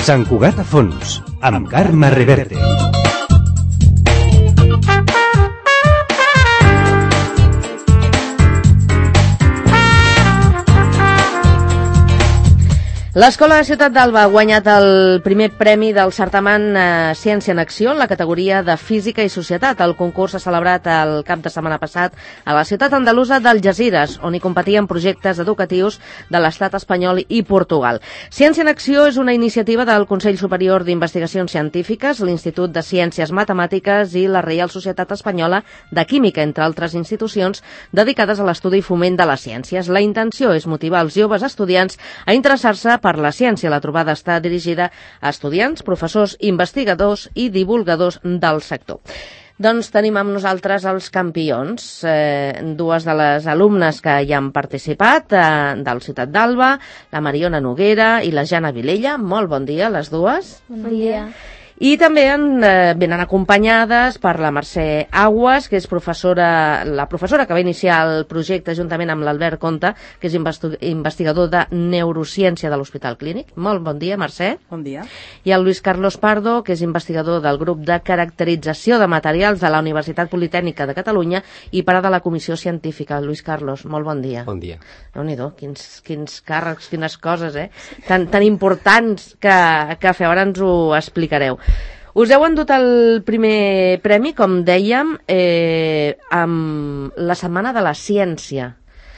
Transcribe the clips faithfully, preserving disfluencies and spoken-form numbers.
Sant Cugat a fons, amb Carme Reverte. L'Escola de Ciutat d'Alba ha guanyat el primer premi del certamen eh, Ciència en Acció en la categoria de Física i Societat. El concurs s'ha celebrat el cap de setmana passat a la ciutat andalusa d'Algesires, on hi competien projectes educatius de l'Estat espanyol i Portugal. Ciència en Acció és una iniciativa del Consell Superior d'Investigacions Científiques, l'Institut de Ciències Matemàtiques i la Reial Societat Espanyola de Química, entre altres institucions dedicades a l'estudi i foment de les ciències. La intenció és motivar els joves estudiants a interessar-se per la ciència. La trobada està dirigida a estudiants, professors, investigadors i divulgadors del sector. Doncs tenim amb nosaltres els campions, eh, dues de les alumnes que hi han participat, eh, del Ciutat d'Alba, la Mariona Noguera i la Jana Vilella. Molt bon dia, les dues. Bon dia. I també en, eh, venen acompanyades per la Mercè Aguas, que és professora, la professora que va iniciar el projecte juntament amb l'Albert Conte, que és investigador de neurociència de l'Hospital Clínic. Molt bon dia, Mercè. Bon dia. I el Lluís Carlos Pardo, que és investigador del grup de caracterització de materials de la Universitat Politècnica de Catalunya i part de la Comissió Científica. Lluís Carlos, molt bon dia. Bon dia. Déu-n'hi-do, quins, quins càrrecs, quines coses, eh? Tan, tan importants que, que feu, ara ens ho explicareu. Us heu endut el primer premi, com dèiem, eh, amb la Setmana de la Ciència.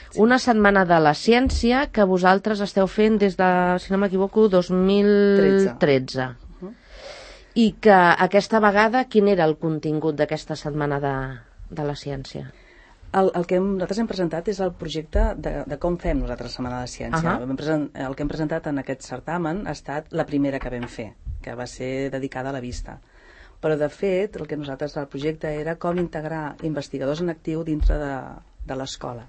Sí. Una Setmana de la Ciència que vosaltres esteu fent des de, si no m'equivoco, dos mil tretze. Uh-huh. I que aquesta vegada, quin era el contingut d'aquesta Setmana de, de la Ciència? El, el que hem, nosaltres hem presentat és el projecte de, de com fem nosaltres la Setmana de la Ciència. Uh-huh. Present, el que hem presentat en aquest certamen ha estat la primera que vam fer, que va ser dedicada a la vista. Però, de fet, el que nosaltres, el projecte era com integrar investigadors en actiu dintre de, de l'escola,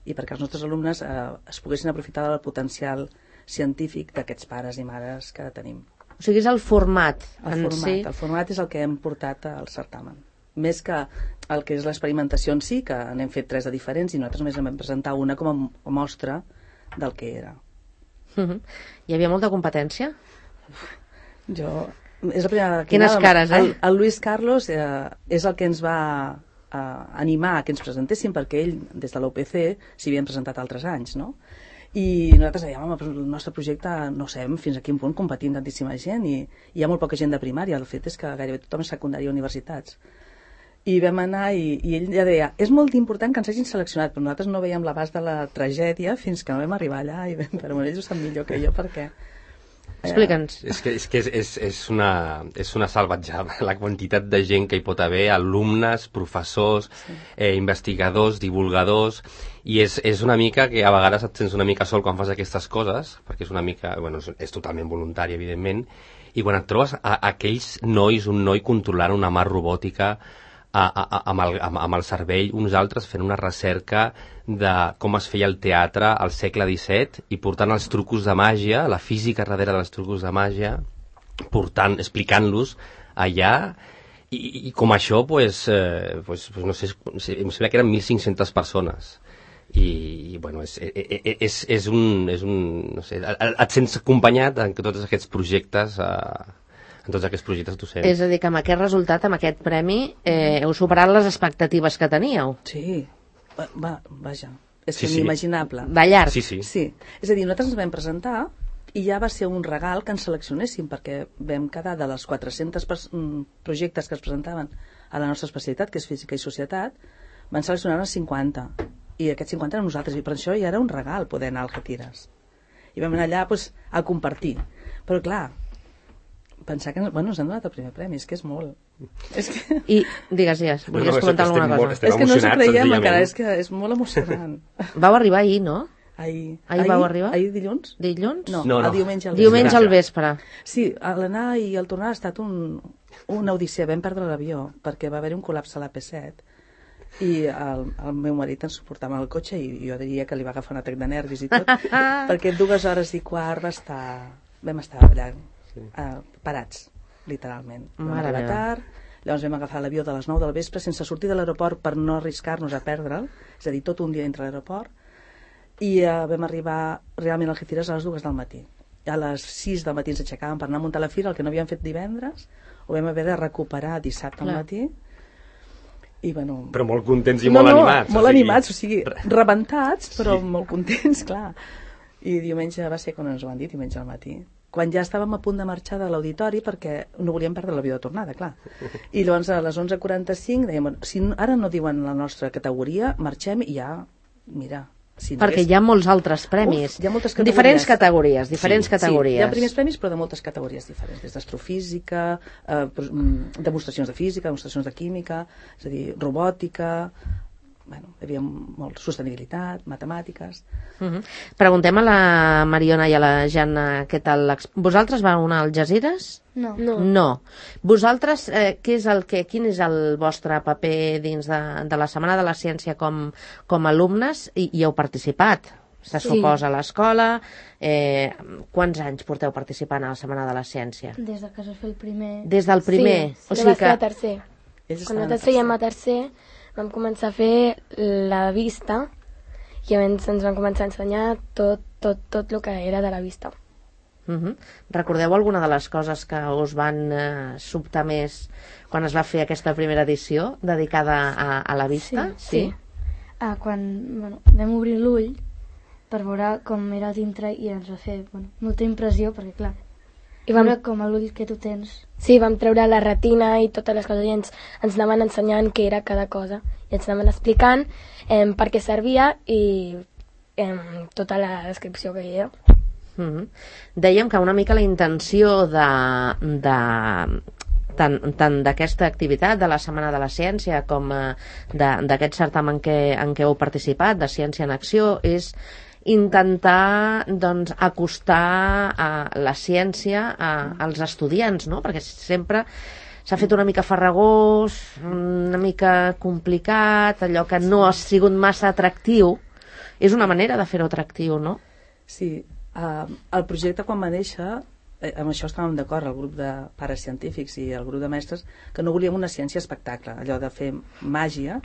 i perquè els nostres alumnes eh, es poguessin aprofitar del potencial científic d'aquests pares i mares que tenim. O sigui, és el format el en format, si. El format és el que hem portat al certamen. Més que el que és l'experimentació en si, que n'hem fet tres de diferents, i nosaltres només vam presentar una com a mostra del que era. Uh-huh. Hi havia molta competència? Jo... És la primera... Quines anava, cares, eh? El, el Lluís Carlos eh, és el que ens va eh, animar a que ens presentéssim, perquè ell, des de l'U P C, s'hi havien presentat altres anys, no? I nosaltres dèiem, home, el nostre projecte no sabem fins a quin punt competint tantíssima gent, i, i hi ha molt poca gent de primària. El fet és que gairebé tothom és secundària a universitats. I vam anar i, i ell ja deia, és molt important que ens hagin seleccionat, però nosaltres no veiem l'abast de la tragèdia fins que no vam arribar allà, i vam, però ells ho sap millor que jo, perquè... Explica'ns. És que, és, que és, és, és, una, és una salvatjada la quantitat de gent que hi pot haver, alumnes, professors, sí. eh, investigadors, divulgadors, i és, és una mica que a vegades et sents una mica sol quan fas aquestes coses, perquè és una mica, bueno, és, és totalment voluntari, evidentment, i quan et trobes a, a aquells nois, un noi controlant una mà robòtica, A, a, a, amb, el, amb, amb el cervell, uns altres fent una recerca de com es feia el teatre al segle disset i portant els trucos de màgia, la física darrere dels trucos de màgia, portant, explicant-los allà, i, i com això, pues, eh, pues, pues no sé, em sembla que eren mil cinc-centes persones. I, i bueno, és, és, és un... És un no sé, et sents acompanyat en tots aquests projectes... Eh, en tots aquests projectes docents. És a dir, que amb aquest resultat, amb aquest premi, eh, heu superat les expectatives que teníeu. Sí, va, va, vaja, és sí, inimaginable. Sí. Va llarg. Sí, sí. Sí, és a dir, nosaltres ens vam presentar i ja va ser un regal que ens seleccionéssim, perquè vam quedar de les quatre-cents projectes que es presentaven a la nostra especialitat, que és Física i Societat, van seleccionar-ne cinquanta, i aquests cinquanta eren nosaltres, i per això ja era un regal poder anar al Algeciras. I vam anar allà pues, a compartir. Però clar, pensar que bueno, ens han donat el primer premi, és que és molt. És que... I, digues, digues, volies no, comentar alguna cosa. Molt, és que no s'ho creiem encara, és que és molt emocionant. Vau arribar ahir, no? Ahir. Ahir, ahir vau arribar? Ahir dilluns? Dilluns? No, no, no. el diumenge al vespre. Diumenge al vespre. Sí, l'anar i el tornar ha estat un, una odissea. Vam perdre l'avió perquè va haver-hi un col·lapse a l'A P set i el, el meu marit ens suportava en el cotxe i jo diria que li va agafar un atac de nervis i tot, perquè dues hores i quart va estar, vam estar allà sí. uh, parats, literalment. Vam arribar tard, llavors vam agafar l'avió de les nou del vespre sense sortir de l'aeroport per no arriscar-nos a perdre'l, és a dir, tot un dia dintre l'aeroport, i uh, vam arribar realment al Algeciras a les dues del matí. a les sis del matí ens aixecàvem per anar a muntar la fira, el que no havíem fet divendres ho vam haver de recuperar dissabte al matí. I, bueno, però molt contents i no, molt no, animats. molt o sigui... animats, o sigui, rebentats, però sí. molt contents, clar. I diumenge va ser quan ens ho van dir, diumenge al matí. Quan ja estàvem a punt de marxar de l'auditori perquè no volíem perdre l'avió de tornada, clar. I llavors a les onze quaranta-cinc dèiem, bueno, si ara no diuen la nostra categoria, marxem i ja, mira... Si no perquè hagués... hi ha molts altres premis. Uf, hi ha moltes categories. Diferents categories, diferents sí, categories. Sí, hi ha primers premis, però de moltes categories diferents, des d'astrofísica, eh, demostracions de física, demostracions de química, és a dir, robòtica, bueno, hi havia molt, sostenibilitat, matemàtiques... Uh -huh. Preguntem a la Mariona i a la Jana què tal... Vosaltres vau anar al Algesires? No. No. no. Vosaltres, eh, què és el que, quin és el vostre paper dins de, de la Setmana de la Ciència com, com a alumnes? I, i heu participat, se Sí. suposa, a l'escola. Eh, quants anys porteu participant a la Setmana de la Ciència? Des de que es va fer el primer... Des del primer? Sí, o sí, sigui va ser a que... tercer. Ells Quan estaven a nosaltres fèiem a tercer, vam començar a fer la vista i llavors ens van començar a ensenyar tot, tot, tot el que era de la vista. Uh -huh. Recordeu alguna de les coses que us van eh, sobtar més quan es va fer aquesta primera edició dedicada a, a la vista? Sí, sí. Ah, quan bueno, vam obrir l'ull per veure com era dintre i ens va fer bueno, molta impressió perquè clar, I vam, veure com l'ull que tu tens. sí, vam treure la retina i totes les coses i ens, ens anaven ensenyant què era cada cosa i ens anaven explicant eh, per què servia i eh, tota la descripció que hi era. Uh -huh. Dèiem que una mica la intenció de, de tant, tant d'aquesta activitat de la Setmana de la Ciència com eh, d'aquest certamen que, en què heu participat, de Ciència en Acció, és intentar doncs, acostar a la ciència a, als estudiants, no? Perquè sempre s'ha fet una mica farragós, una mica complicat, allò que no ha sigut massa atractiu. És una manera de fer-ho atractiu, no? Sí, uh, el projecte quan va néixer, eh, amb això estàvem d'acord, el grup de pares científics i el grup de mestres, que no volíem una ciència espectacle, allò de fer màgia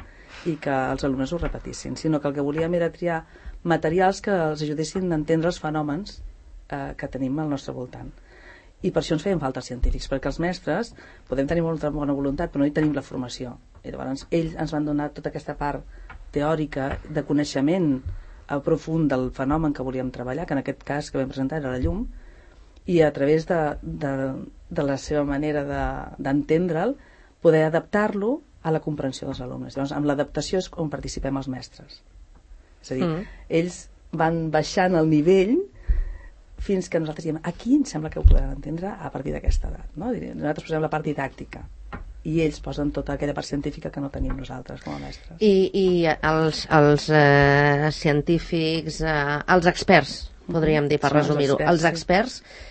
i que els alumnes ho repetissin, sinó que el que volíem era triar materials que els ajudessin a entendre els fenòmens eh, que tenim al nostre voltant. I per això ens feien falta els científics, perquè els mestres podem tenir molta bona voluntat, però no hi tenim la formació. I llavors ells ens van donar tota aquesta part teòrica de coneixement profund del fenomen que volíem treballar, que en aquest cas que vam presentar era la llum, i a través de, de, de la seva manera d'entendre'l, poder adaptar-lo a la comprensió dels alumnes. Llavors, amb l'adaptació és on participem els mestres. És a dir, mm. ells van baixant el nivell fins que nosaltres diem, aquí em sembla que ho podran entendre a partir d'aquesta edat. No? Nosaltres posem la part didàctica i ells posen tota aquella part científica que no tenim nosaltres com a mestres. I, i els, els eh, científics, eh, els experts, podríem dir, per Són els resumir-ho. experts, Els experts sí.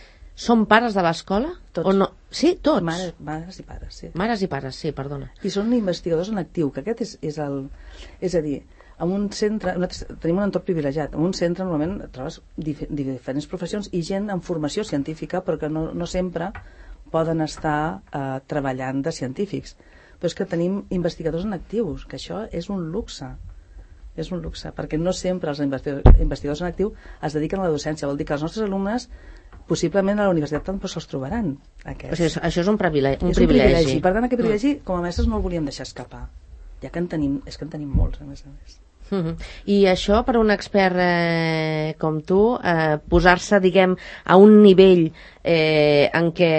són pares de l'escola? Tots. O no? Sí, tots. Mares, mares i pares, sí. Mares i pares, sí, perdona. I són investigadors en actiu, que aquest és, és el... És a dir, en un centre, nosaltres tenim un entorn privilegiat, en un centre normalment trobes dif diferents professions i gent amb formació científica, però que no, no sempre poden estar eh, treballant de científics. Però és que tenim investigadors en actius, que això és un luxe. És un luxe, perquè no sempre els investigadors en actiu es dediquen a la docència. Vol dir que els nostres alumnes possiblement a la universitat tampoc se'ls trobaran, aquests. O sigui, això és un privilegi. Un és un privilegi. privilegi. Per tant, aquest privilegi, com a mestres, no el volíem deixar escapar. Ja que en tenim, és que en tenim molts, a més a més. Uh-huh. I això, per un expert eh, com tu, eh, posar-se, diguem, a un nivell eh, en què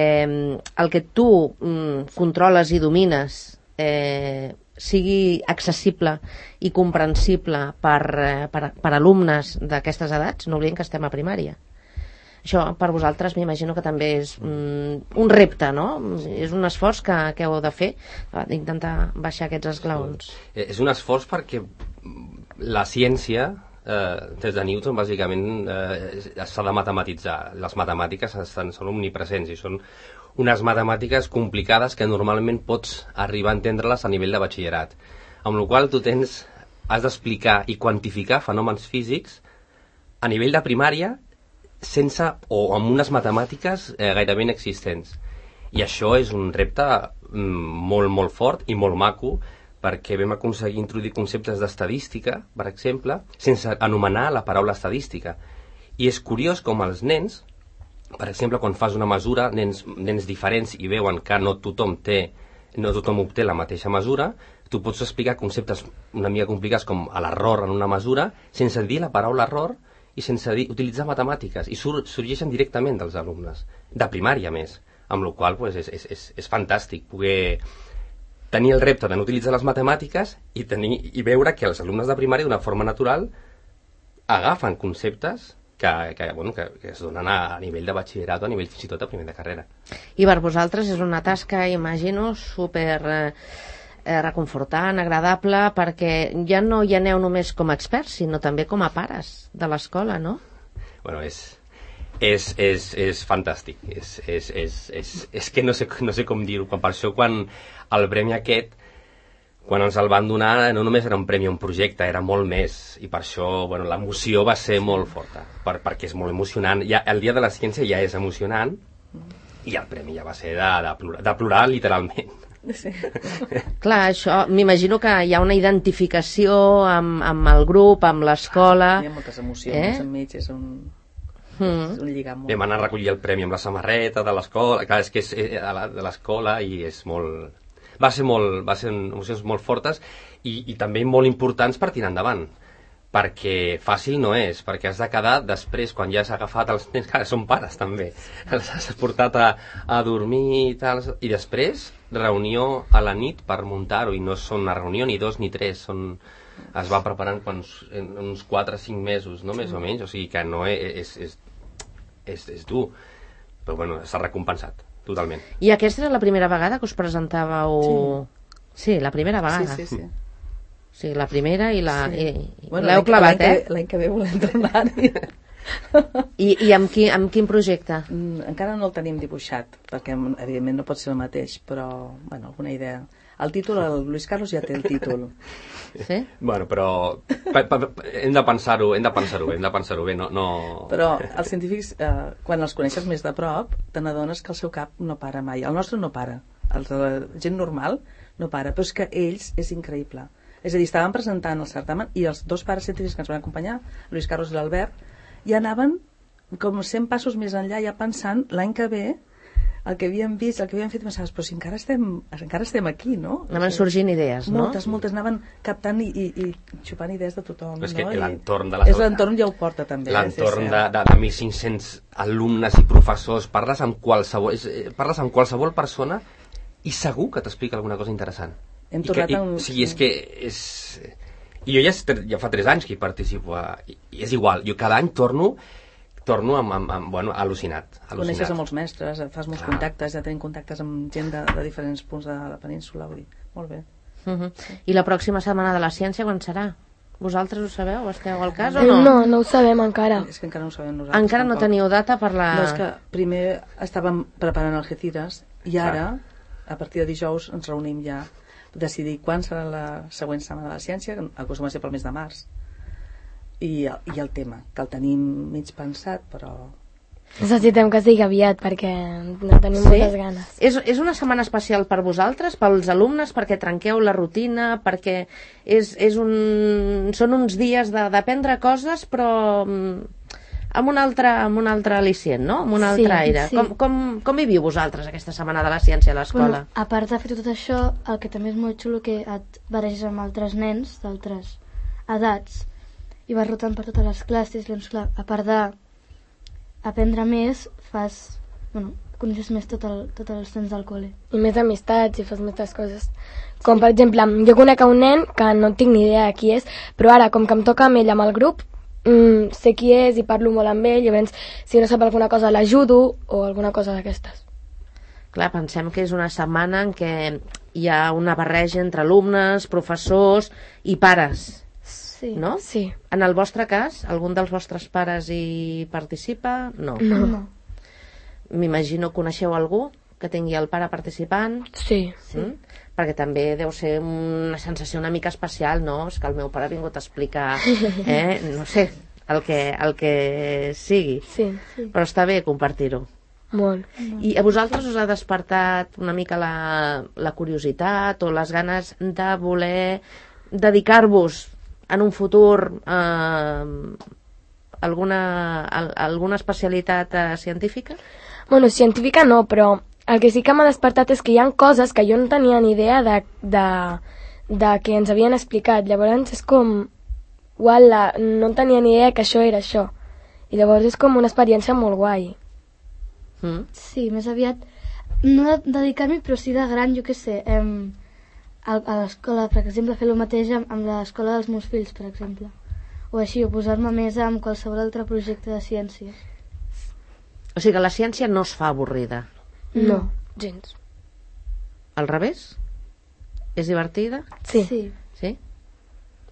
el que tu mm, controles i domines eh, sigui accessible i comprensible per, eh, per, per alumnes d'aquestes edats, no oblidem que estem a primària. Això per vosaltres m'imagino que també és mm, un repte, no? És un esforç que, que heu de fer, d'intentar baixar aquests esglaons. És un esforç perquè la ciència, eh, des de Newton, bàsicament, eh, s'ha de matematitzar. Les matemàtiques estan, són omnipresents i són unes matemàtiques complicades que normalment pots arribar a entendre-les a nivell de batxillerat. Amb la qual cosa tu tens, has d'explicar i quantificar fenòmens físics a nivell de primària sense, o amb unes matemàtiques eh, gairebé inexistents. I això és un repte mm, molt, molt fort i molt maco, perquè vam aconseguir introduir conceptes d'estadística, per exemple, sense anomenar la paraula estadística. I és curiós com els nens per exemple, quan fas una mesura, nens, nens diferents i veuen que no tothom té, no tothom obté la mateixa mesura, tu pots explicar conceptes una mica complicats com l'error en una mesura sense dir la paraula error i sense dir, utilitzar matemàtiques, i sur, sorgeixen directament dels alumnes, de primària més, amb la qual cosa és, és, és, és fantàstic poder tenir el repte de no utilitzar les matemàtiques i, tenir, i veure que els alumnes de primària d'una forma natural agafen conceptes que, que, bueno, que, que es donen a, a nivell de batxillerat o a nivell fins i tot a primer de carrera. I per vosaltres és una tasca, imagino, super eh, reconfortant, agradable, perquè ja no hi aneu només com a experts, sinó també com a pares de l'escola, no? Bueno, és, és, és, és fantàstic. És, és, és, és, és que no sé, no sé com dir-ho. Per això, quan el premi aquest, quan ens el van donar, no només era un premi a un projecte, era molt més, i per això, bueno, l'emoció va ser molt forta, per, perquè és molt emocionant. Ja, el dia de la ciència ja és emocionant, i el premi ja va ser de, de, plorar, de plorar literalment. Sí. Clar, això, m'imagino que hi ha una identificació amb, amb el grup, amb l'escola. Hi ha moltes emocions eh? enmig, és un... Mm. És un lligam molt... Vam anar a recollir el premi amb la samarreta de l'escola, clar, és que és eh, de l'escola i és molt... Va ser, molt, va ser emocions molt fortes i, i també molt importants per tirar endavant, perquè fàcil no és, perquè has de quedar després, quan ja has agafat els nens, que són pares també, els has portat a, a dormir i tal, i després reunió a la nit per muntar-ho, i no són una reunió ni dos ni tres, són, es va preparant quan, en uns quatre o cinc mesos, no? Més o menys, o sigui que no és, és, és, és dur, però bueno, s'ha recompensat. Totalment. I aquesta era la primera vegada que us presentàveu... Sí, sí la primera vegada. Sí, sí, sí. Sí, la primera i la... Sí. I, i bueno, l'heu clavat, eh? L'any que ve volem tornar-hi. I, i amb, qui, amb quin projecte? Mm, encara no el tenim dibuixat, perquè evidentment no pot ser el mateix, però, bueno, alguna idea. El títol, el Luis Carlos ja té el títol. Sí? Bueno, però pa, pa, hem de pensar-ho, hem de pensar-ho bé, hem de pensar-ho bé, no, no... Però els científics, eh, quan els coneixes més de prop, te n'adones que el seu cap no para mai. El nostre no para, el de la gent normal no para, però és que ells és increïble. És a dir, estaven presentant el certamen i els dos pares científics que ens van acompanyar, Luis Carlos i l'Albert, ja anaven com cent passos més enllà, ja pensant l'any que ve el que havíem vist, el que havíem fet, pensaves, però si encara estem, encara estem aquí, no? Anaven sorgint idees, no? Moltes, moltes, anaven captant i, i, i xupant idees de tothom. Però és que no? l'entorn de la és l'entorn ja ho porta també. L'entorn de, de, de mil cinc-cents alumnes i professors, parles amb qualsevol, és, parles amb qualsevol persona i segur que t'explica alguna cosa interessant. Hem I tornat que, i, a un... Sí, és que és... I jo ja, ja fa tres anys que hi participo, i, i és igual, jo cada any torno torno amb, amb, amb bueno, al·lucinat, al·lucinat. Coneixes a molts mestres, fas molts Clar. contactes, ja tenim contactes amb gent de, de diferents punts de la península, vull dir, molt bé. Uh -huh. sí. I la pròxima setmana de la ciència quan serà? Vosaltres ho sabeu? Esteu al cas o no? No, no ho sabem encara. És que encara no ho sabem nosaltres. Encara tampoc. no teniu data per la... No, és que primer estàvem preparant Algeciras i ara, a partir de dijous, ens reunim ja a decidir quan serà la següent setmana de la ciència, que acostuma a ser pel mes de març. I, i el tema, que el tenim mig pensat, però... Necessitem que sigui aviat, perquè no tenim sí? moltes ganes. És, és una setmana especial per vosaltres, pels alumnes, perquè trenqueu la rutina, perquè és, és un, són uns dies d'aprendre coses, però amb un altre, amb un altre al·licient, no? Amb un altre sí, aire. Sí. Com, com, com hi viu vosaltres aquesta setmana de la ciència a l'escola? Bueno, a part de fer tot això, el que també és molt xulo que et barreges amb altres nens d'altres edats i vas rotant per totes les classes, doncs clar, a part d'aprendre més, fas, bueno, coneixes més tot el, tots els nens del col·le. I més amistats i fas moltes coses. Com per exemple, jo conec a un nen que no tinc ni idea de qui és, però ara, com que em toca amb ell amb el grup, mm, sé qui és i parlo molt amb ell, i llavors si no sap alguna cosa l'ajudo o alguna cosa d'aquestes. Clar, pensem que és una setmana en què hi ha una barreja entre alumnes, professors i pares. Sí. No? Sí. En el vostre cas, algun dels vostres pares hi participa? No. No. No. M'imagino que coneixeu algú que tingui el pare participant? Sí. Sí. Mm? Perquè també deu ser una sensació una mica especial, no? És que el meu pare ha vingut a explicar, eh? No sé, el que, el que sigui. Sí. Sí. Però està bé compartir-ho. Molt. I a vosaltres us ha despertat una mica la, la curiositat o les ganes de voler dedicar-vos en un futur eh, Alguna, al, alguna especialitat eh, científica? Bueno, científica no, però el que sí que m'ha despertat és que hi ha coses que jo no tenia ni idea de, de, de que ens havien explicat. Llavors és com... Uala, no tenia ni idea que això era això. I llavors és com una experiència molt guai. Mm. Sí, més aviat, no de dedicar-m'hi, però sí de gran, jo què sé, em, a, a l'escola, per exemple, fer el mateix amb, amb l'escola dels meus fills, per exemple. O així, o posar-me més amb qualsevol altre projecte de ciències. O sigui que la ciència no es fa avorrida. No, gens. Al revés? És divertida? Sí. Sí. Sí?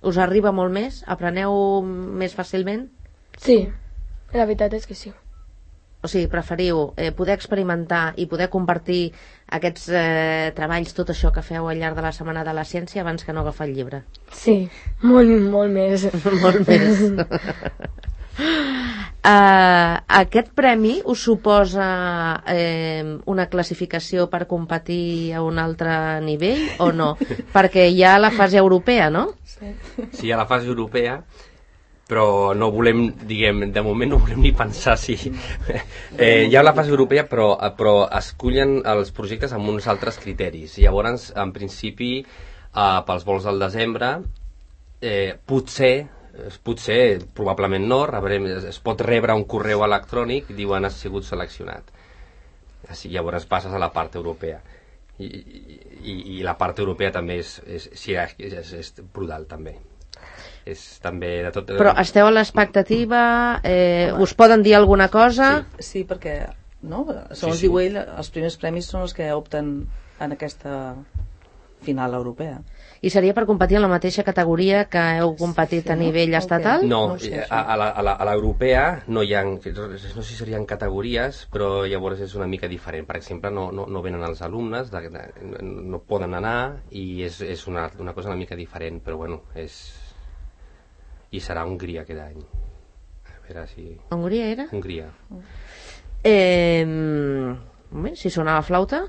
Us arriba molt més? Apreneu més fàcilment? Sí, la veritat és que sí. O sigui, preferiu eh, poder experimentar i poder compartir aquests eh, treballs, tot això que feu al llarg de la Setmana de la Ciència, abans que no agafar el llibre? Sí, molt, molt més. Molt més. uh, aquest premi us suposa eh, una classificació per competir a un altre nivell o no? Perquè hi ha la fase europea, no? Sí, a la fase europea, però no volem, diguem, de moment no volem ni pensar si... Eh, hi ha la fase europea, però, però escullen els projectes amb uns altres criteris. Llavors, en principi, eh, pels vols del desembre, eh, potser, potser, probablement no, rebrem, es pot rebre un correu electrònic i diuen has sigut seleccionat. Així, llavors passes a la part europea. I, i, i la part europea també és, és, sí, és, és, és brutal, també. És també de tot... Però esteu a l'expectativa? Eh, us poden dir alguna cosa? Sí, sí, perquè, no? Segons Sí, sí. diu ell, els primers premis són els que opten en aquesta final europea. I seria per competir en la mateixa categoria que heu competit Sí, a nivell no? estatal? No, No ho sé, eh, això. a, a, la, a, la, a l'europea no hi ha, no sé si serien categories, però llavors és una mica diferent. Per exemple, no, no, no venen els alumnes, de, de, no poden anar i és, és una, una cosa una mica diferent, però bueno, és... I serà Hongria aquest any. A veure si... Hongria era? Hongria. Eh, home, si sonava flauta,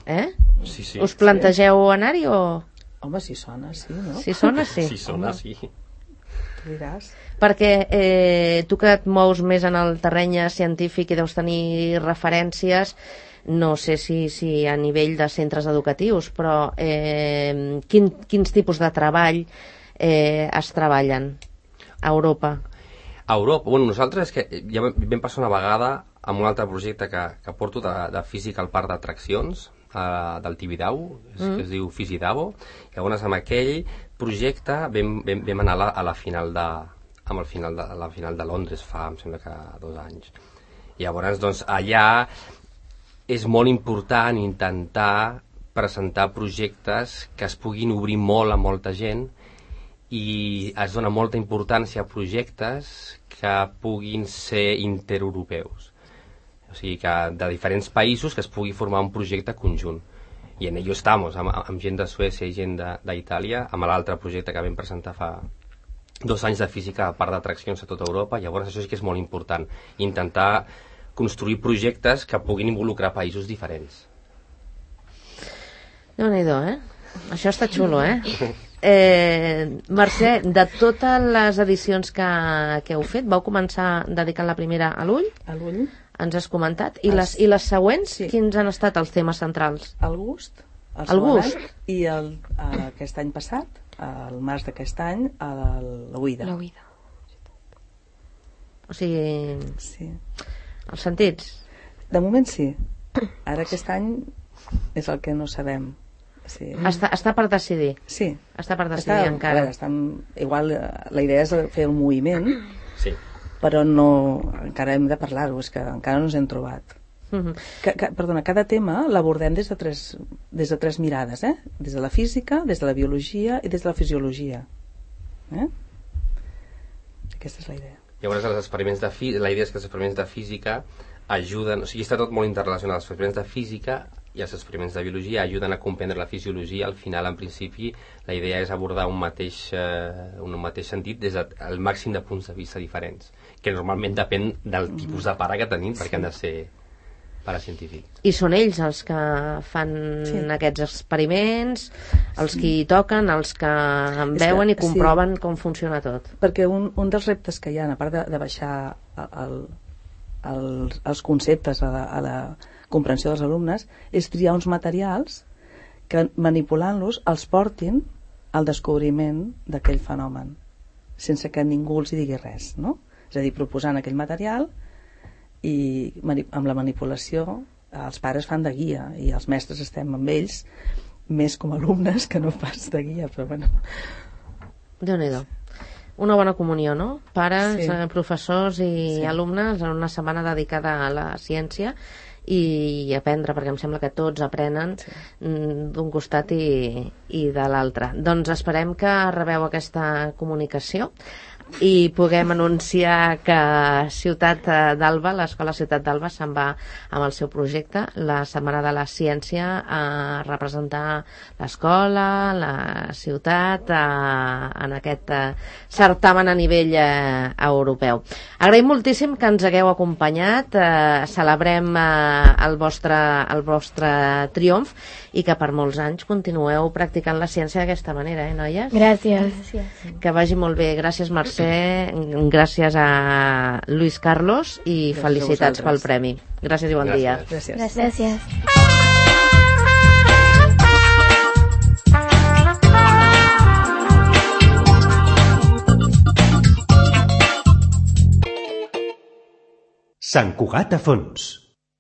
eh? Sí, sí. Us plantegeu anar-hi o...? Home, si sona, sí, no? Si sona, sí. Si sona, Home. sí. Tu diràs. Perquè eh, tu que et mous més en el terreny científic i deus tenir referències, no sé si, si a nivell de centres educatius, però eh, quin, quins tipus de treball eh, es treballen a Europa? A Europa, bueno, nosaltres que ja vam passar una vegada amb un altre projecte que, que porto de, de física al parc d'atraccions eh, del Tibidabo, mm. que es diu Fisidabo. Llavors amb aquell projecte vam, vam, vam anar a la, a la final de amb el final de, a la final de Londres fa, em sembla que dos anys. Llavors, doncs, allà és molt important intentar presentar projectes que es puguin obrir molt a molta gent i es dona molta importància a projectes que puguin ser intereuropeus. O sigui, que de diferents països que es pugui formar un projecte conjunt. I en ello estamos, amb, amb gent de Suècia i gent d'Itàlia, amb l'altre projecte que vam presentar fa dos anys de física a part d'atraccions a tota Europa. Llavors això sí que és molt important, intentar construir projectes que puguin involucrar països diferents. Déu-n'hi-do, eh? Això està xulo, eh? eh Mercè, de totes les edicions que, que heu fet, vau començar dedicant la primera a l'ull, A l'ull, ens has comentat, i les, i les següents, Sí. quins han estat els temes centrals? el gust, el, El segon gust. any, i el, eh, aquest any passat, al març d'aquest any, a l'oïda. L'oïda. O sigui, Sí. els sentits. De moment sí. Ara aquest any és el que no sabem. Sí. Està, està per decidir. Sí. Està per decidir Està, encara. A veure, estem, igual eh, la idea és fer el moviment, Sí. però no, encara hem de parlar-ho, és que encara no ens hem trobat. Mhm. Que, que, perdona, cada tema l'abordem des de tres, des de tres mirades, eh? Des de la física, des de la biologia i des de la fisiologia. Eh? Aquesta és la idea. Llavors els experiments de fí- la idea és que els experiments de física ajuden, o sigui, està tot molt interrelacionat. Els experiments de física i els experiments de biologia ajuden a comprendre la fisiologia. Al final, en principi, la idea és abordar un mateix, eh, un mateix sentit des del màxim de punts de vista diferents, que normalment depèn del tipus de pare que tenim, perquè han de ser paracientífics. I són ells els que fan Sí. aquests experiments, els que hi toquen, els que en És que- veuen i sí. comproven com funciona tot. Perquè un, un dels reptes que hi ha, a part de, de baixar el, el, els conceptes a la, a la comprensió dels alumnes, és triar uns materials que manipulant-los els portin al descobriment d'aquell fenomen, sense que ningú els hi digui res, no? És a dir, proposant aquell material i mani- amb la manipulació els pares fan de guia i els mestres estem amb ells més com a alumnes que no pas de guia, però bueno. Déu-n'hi-do. Una bona comunió, no? Pares, Sí. eh, professors i Sí. alumnes en una setmana dedicada a la ciència i aprendre, perquè em sembla que tots aprenen Sí. mm, d'un costat i, i de l'altre. Doncs esperem que rebeu aquesta comunicació i puguem anunciar que Ciutat d'Alba, l'Escola Ciutat d'Alba se'n va amb el seu projecte la Setmana de la Ciència a representar l'escola, la ciutat a, en aquest eh, certamen a nivell eh, europeu. Agraïm moltíssim que ens hagueu acompanyat, eh, celebrem eh, el, vostre, el vostre triomf i que per molts anys continueu practicant la ciència d'aquesta manera, eh, noies? Gràcies. Gràcies. Que vagi molt bé. Gràcies, Mercè. Gràcies a Luis Carlos i Gràcies a felicitats pel vosaltres. premi. Gràcies i bon Gràcies. dia. Gràcies. Gràcies. Sant Cugat a fons.